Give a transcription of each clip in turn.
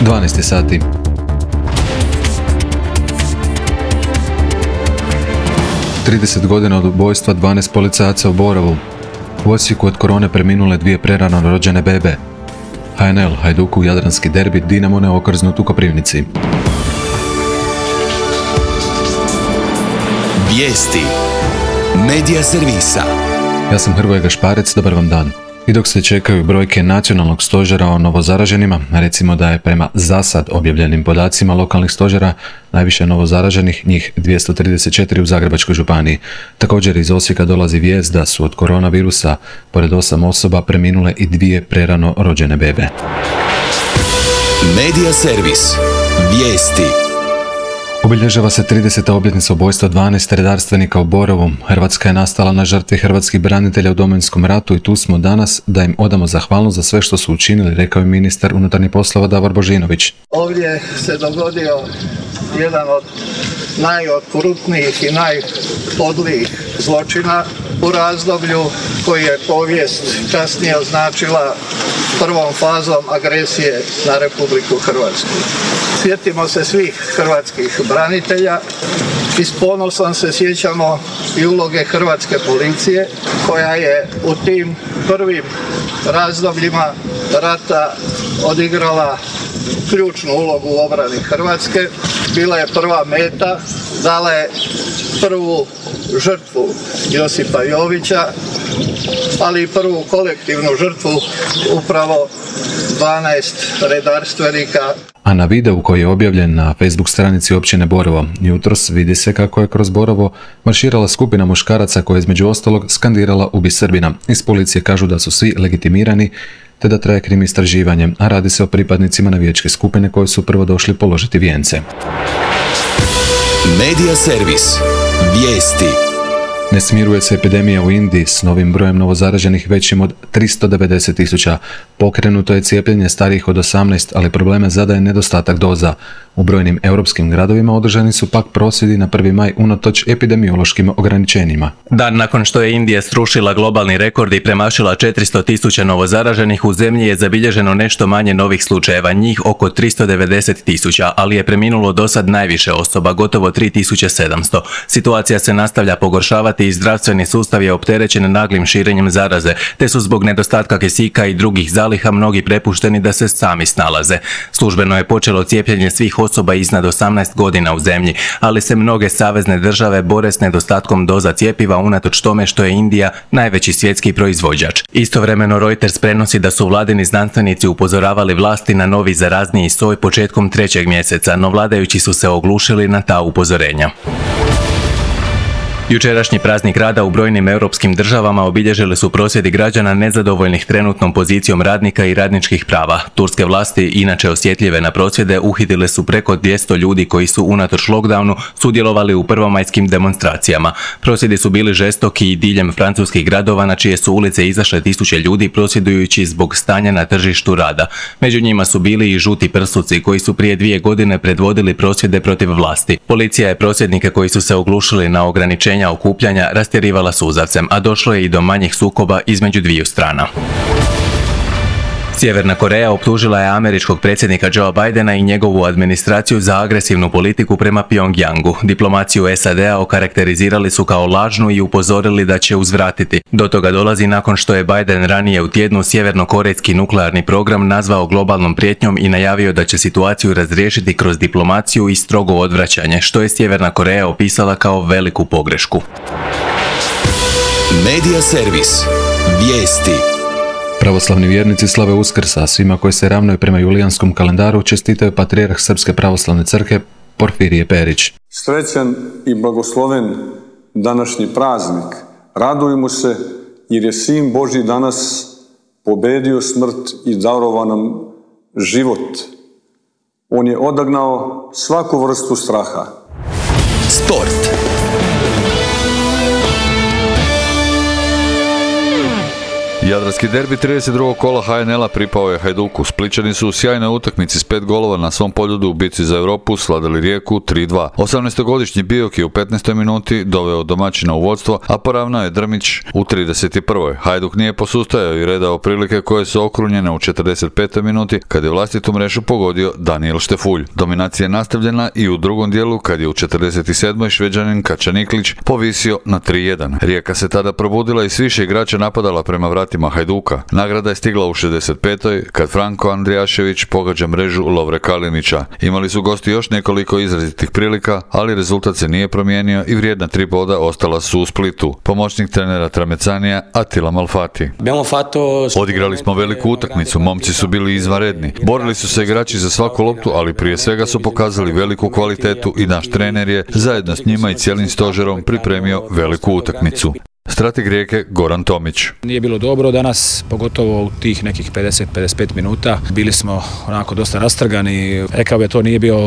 12 sati. Trideset godina od ubojstva 12 policajaca u Borovu. U Osijeku od korone preminule 2 prerano rođene bebe. HNL Hajduku jadranski derbi, Dinamo neokrznut u Koprivnici. Vijesti Medija servisa. Ja sam Hrvoje Gašparec, dobar vam dan. I dok se čekaju brojke nacionalnog stožera o novozaraženima, recimo da je prema zasad objavljenim podacima lokalnih stožera najviše novozaraženih, njih 234 u Zagrebačkoj županiji. Također iz Osijeka dolazi vijest da su od koronavirusa, pored 8 osoba, preminule i 2 prerano rođene bebe. Medija servis. Vijesti. Obilježava se 30. obljetnica ubojstva 12 redarstvenika u Borovu. Hrvatska je nastala na žrtvi hrvatskih branitelja u Domovinskom ratu i tu smo danas da im odamo zahvalnost za sve što su učinili, rekao je ministar unutarnjih poslova Davor Božinović. Ovdje se dogodio jedan od najokrutnijih i najpodlijih zločina u razdoblju koji je povijest kasnije označila prvom fazom agresije na Republiku Hrvatsku. Sjetimo se svih hrvatskih branitelja i s ponosom se sjećamo i uloge hrvatske policije koja je u tim prvim razdobljima rata odigrala ključnu ulogu u obrani Hrvatske. Bila je prva meta, dala je prvu žrtvu Josipa Jovića, ali i prvu kolektivnu žrtvu upravo 12 redarstvenika. A na videu koji je objavljen na Facebook stranici općine Borovo, jutros vidi se kako je kroz Borovo marširala skupina muškaraca koja je između ostalog skandirala "Ubi Srbina". Iz policije kažu da su svi legitimirani te da traje krim istraživanje, a radi se o pripadnicima navijačke skupine koji su prvo došli položiti vijence. Medija servis. Vijesti. Ne smiruje se epidemija u Indiji s novim brojem novozaraženih većim od 390.000. Pokrenuto je cijepljenje starijih od 18, ali probleme zadaje nedostatak doza. U brojnim europskim gradovima održani su pak prosvjedi na 1. maj unatoč epidemiološkim ograničenjima. Dan nakon što je Indija srušila globalni rekord i premašila 400.000 novozaraženih, u zemlji je zabilježeno nešto manje novih slučajeva, njih oko 390.000, ali je preminulo dosad najviše osoba, gotovo 3.700. Situacija se nastavlja pogoršavati i zdravstveni sustav je opterećen naglim širenjem zaraze, te su zbog nedostatka kisika i drugih zaliha mnogi prepušteni da se sami snalaze. Službeno je počelo cijepljenje svih osoba iznad 18 godina u zemlji, ali se mnoge savezne države bore s nedostatkom doza cjepiva unatoč tome što je Indija najveći svjetski proizvođač. Istovremeno Reuters prenosi da su vladini znanstvenici upozoravali vlasti na novi zarazniji soj početkom 3. mjeseca, no vladajući su se oglušili na ta upozorenja. Jučerašnji praznik rada u brojnim europskim državama obilježili su prosvjedi građana nezadovoljnih trenutnom pozicijom radnika i radničkih prava. Turske vlasti, inače osjetljive na prosvjede, uhitile su preko 200 ljudi koji su unatoč lockdownu sudjelovali u prvomajskim demonstracijama. Prosvjedi su bili žestoki i diljem francuskih gradova na čije su ulice izašle tisuće ljudi prosvjedujući zbog stanja na tržištu rada. Među njima su bili i žuti prsuci koji su prije 2 godine predvodili prosvjede protiv vlasti. Policija je prosvjednike koji su se oglušili na ograničenja okupljanja rastjerivala suzavcem, a došlo je i do manjih sukoba između dviju strana. Sjeverna Koreja optužila je američkog predsjednika Joea Bidena i njegovu administraciju za agresivnu politiku prema Pyongyangu. Diplomaciju SAD-a okarakterizirali su kao lažnu i upozorili da će uzvratiti. Do toga dolazi nakon što je Biden ranije u tjednu sjevernokorejski nuklearni program nazvao globalnom prijetnjom i najavio da će situaciju razriješiti kroz diplomaciju i strogo odvraćanje, što je Sjeverna Koreja opisala kao veliku pogrešku. Medija servis. Vijesti. Pravoslavni vjernici slave Uskrs, a svima koji se ravnaju prema julijanskom kalendaru čestitaju patrijarh Srpske pravoslavne crkve Porfirije Perić. Srećan i blagosloven današnji praznik. Radujmo se jer je Sin Božji danas pobedio smrt i darovao nam život. On je odagnao svaku vrstu straha. Sport. Jadranski derbi 32. kola HNL-a pripao je Hajduku. Splićani su u sjajnoj utakmici s 5 golova na svom poljudu u bitci za Europu sladali Rijeku 3-2. 18-godišnji Bijok je u 15. minuti doveo domaćina u vodstvo, a poravnao je Drmić u 31. Hajduk nije posustajao i redao prilike koje su okrunjene u 45. minuti kad je vlastitu mrežu pogodio Daniel Štefulj. Dominacija je nastavljena i u drugom dijelu kad je u 47. Šveđanin Kačaniklić povisio na 3-1. Rijeka se tada probudila i s više igrača napadala prema vratima Hajduka. Nagrada je stigla u 65. kad Franko Andrijašević pogađa mrežu Lovre Kalinića. Imali su gosti još nekoliko izrazitih prilika, ali rezultat se nije promijenio i vrijedna 3 boda ostala su u Splitu. Pomoćnik trenera Tramecanija Attila Malfati. Odigrali smo veliku utakmicu, momci su bili izvanredni. Borili su se igrači za svaku loptu, ali prije svega su pokazali veliku kvalitetu i naš trener je, zajedno s njima i cijelim stožerom, pripremio veliku utakmicu. Strateg Rijeke Goran Tomić. Nije bilo dobro danas, pogotovo u tih nekih 50-55 minuta. Bili smo onako dosta rastrgani. Rekao bi to nije bio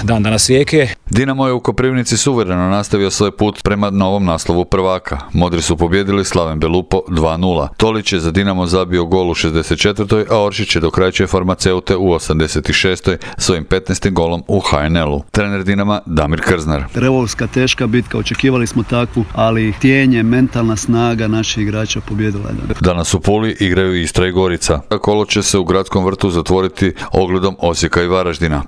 dan danas Rijeke. Dinamo je u Koprivnici suvereno nastavio svoj put prema novom naslovu prvaka. Modri su pobjedili Slaven Belupo 2-0. Tolić je za Dinamo zabio gol u 64. a Oršić je dokrajčio Farmaceute u 86. svojim 15. golom u HNL-u. Trener Dinama Damir Krznar. Revovska teška bitka, očekivali smo takvu, ali htjenje, mentalna snaga naših igrača pobjedila je. Danas u Puli igraju Istra i Gorica. Kolo će se u Gradskom vrtu zatvoriti ogledom Osijeka i Varaždina.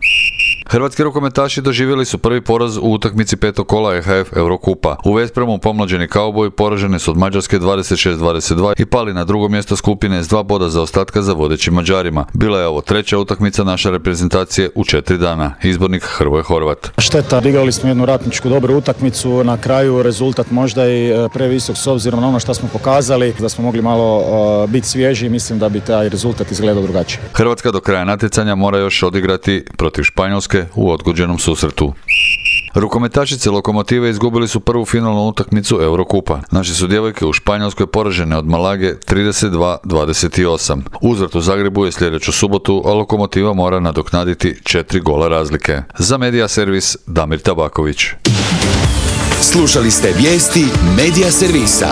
Hrvatski rukometaši doživjeli su prvi poraz u utakmici 5. kola EHF Eurokupa. U Vespremu pomlađeni kauboji poraženi su od Mađarske 26-22 i pali na drugo mjesto skupine s 2 boda zaostatka za vodećim Mađarima. Bila je ovo 3. utakmica naše reprezentacije u 4 dana. Izbornik Hrvoje Horvat. Šteta, odigrali smo jednu ratničku dobru utakmicu, na kraju rezultat možda i previsok s obzirom na ono što smo pokazali, da smo mogli malo biti svježi i mislim da bi taj rezultat izgledao drugačije. Hrvatska do kraja natjecanja mora još odigrati protiv Španjolske u odgođenom susretu. Rukometašice Lokomotive izgubili su prvu finalnu utakmicu Eurokupa. Naše su djevojke u Španjolskoj poražene od Malage 32-28. Uzvrat u Zagrebu je sljedeću subotu, a Lokomotiva mora nadoknaditi 4 gola razlike. Za Medija Servis Damir Tabaković. Slušali ste vijesti Medija Servisa.